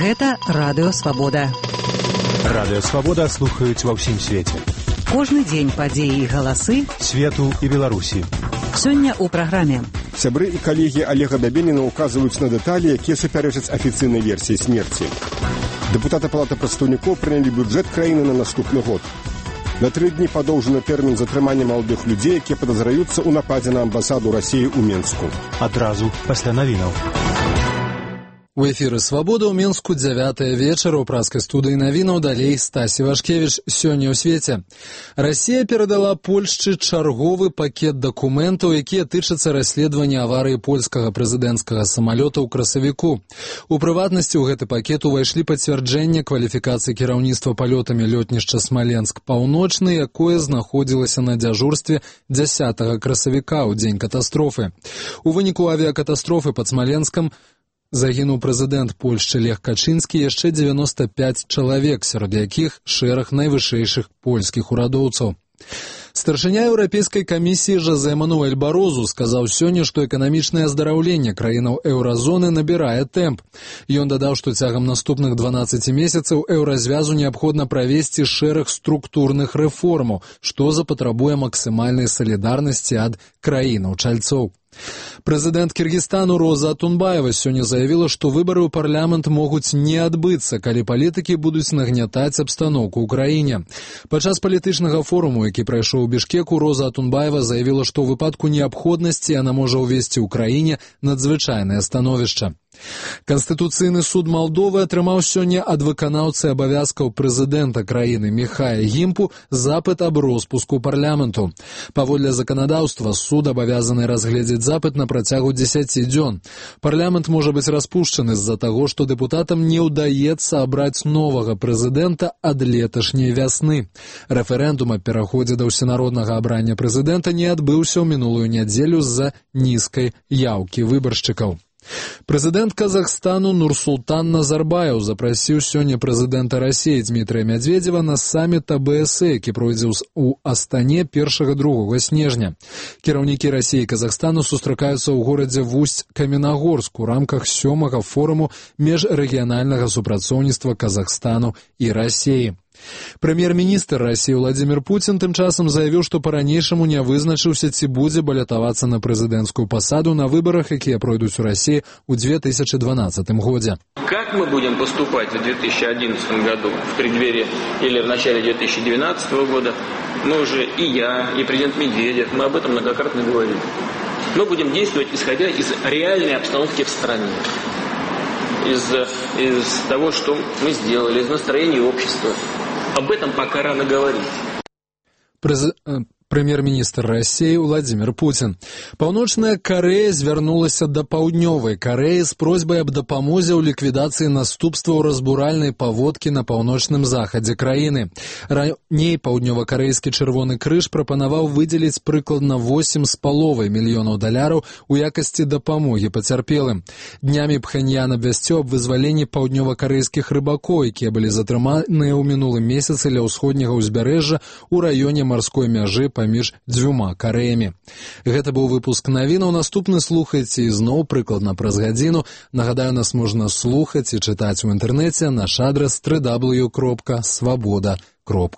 Гэта Радыё Свабода. Радыё Свабода слухаюць ва ўсім свеце. Кожны дзень падзеі і галасы свету і Беларусі. Сёння ў праграме. Сябры і калегі Олега Бябеніна указваюць на дэталі, якія супярэчаць афіцыйнай версіі смерці. Дэпутаты Палаты прадстаўнікоў прынялі бюджэт краіны на наступны год. На 3 дні падоўжаны тэрмін затрымання маладых людзей, якія падазраюцца ў нападзе на амбасаду Расіі ў Менску. Адразу пасля навінаў. У эфіры «Свабода» ў Менску 9 вечара. У праскай студыі навінаў далей Стасі Вашкевіч. Сёння ў свеце. Расія перадала Польшчы чарговы пакет дакументаў, якія тычацца расследавання аварыі польскага прэзідэнцкага самалёта ў красавіку. У прыватнасці ў гэты пакет увайшлі пацвярджэнне кваліфікацыі кіраўніцтва палётамі лётнішча Смаленск-Паўночны, якое знаходзілася на дзяжурстве 10 красавіка ў дзень катастрофы. У выніку авіякатастрофы пад Смаленскам загінуў прэзідэнт Польшчы Лех Качынскі, яшчэ 95 чалавек, сярод якіх шэраг найвышэйшых польскіх урадоўцаў. Старшыня Еўрапейскай камісіі Жозе Мануэль Барозу сказаў сёння, што эканамічнае аздараўленне краінаў еўразоны набірае тэмп. Ён дадаў, што цягам наступных 12 месяцаў еўразвязу неабходна правесці шэраг структурных рэформаў, што запатрабуе максімальнай салідарнасці ад краінаў-чальцоў. Прэзідэнт Кіргізстану Роза Атунбаева сёння заявіла, што выбары ў парламент могуць не адбыцца, калі палітыкі будуць нагнятаць абстаноўку ў краіне. Падчас палітычнага форуму, які прайшоў у Бішкеку, Роза Атунбаева заявіла, што ў выпадку неабходнасці яна можа ўвесці ў краіне надзвычайнае становішча. Канстытуцыйны суд Малдовы атрымаў сёння ад выканаўцы абавязкаў прэзідэнта краіны Міхая Гімпу запыт аб роспуску парламенту. Паводле заканадаўства суд абавязаны разгледзець запыт на працягу 10 дзён. Парламент можа быць распушчаны з-за таго, што дэпутатам не ўдаецца абраць новага прэзідэнта ад леташняй вясны. Рэферэндум аб пераходзе да ўсенароднага абрання прэзідэнта не адбыўся ў мінулую нядзелю з-за нізкай яўкі выбаршчыкаў. Прэзідэнт Казахстану Нурсултан Назарбаев запрасіў сёння прэзідэнта Расіі Дмітрыя Мядзведзева на саміт АБС, які пройдзе ў Астане 1-2 снежня. Кіраўнікі Расіі і Казахстану сустракаюцца ў горадзе Вусть-Каменагорск у рамках 7-га форуму міжрэгіянальнага супрацоўніцтва Казахстану і Расіі. Прэм'ер-міністр Расіі Владзімір Пуцін тым часам заявіў, што па-ранейшаму не вызначыўся, ці будзе балятавацца на прэзідэнцкую пасаду на выбарах, якія пройдуць у Расіі ў 2012 годзе. Как мы будем поступать в 2011 году, в преддверии или в начале 2012 года, мы уже и я, и президент Медведев, мы об этом многократно говорили. Мы будем действовать, исходя из реальной обстановки в стране. Из того, что мы сделали, из настроения общества. Об этом пока рано говорить. Прэм'ер-міністр Расіі Владзімір Пуцін. Паўночная Карэя звярнулася да Паўднёвай Карэі з просьбай аб дапамозе ў ліквідацыі наступстваў разбуральнай паводкі на паўночным захадзе краіны. Раней паўднёва-карэйскі Чырвоны крыж прапанаваў выдзеліць прыкладна $8,5 мільёнаў у якасці дапамогі пацярпелым. Днямі Пхэньян абвясціў аб вызваленні паўднёва-карэйскіх рыбакоў, якія былі затрыманыя ў мінулым месяцы ля ўсходняга ўзбярэжжа ў раёне марской мяжы паміж дзвюма Карэямі. Гэта быў выпуск навінаў. Наступны слухайце ізноў прыкладна праз гадзіну. Нагадаю, нас можна слухаць і чытаць у інтэрнэце. Наш адрас www.swaboda.ru.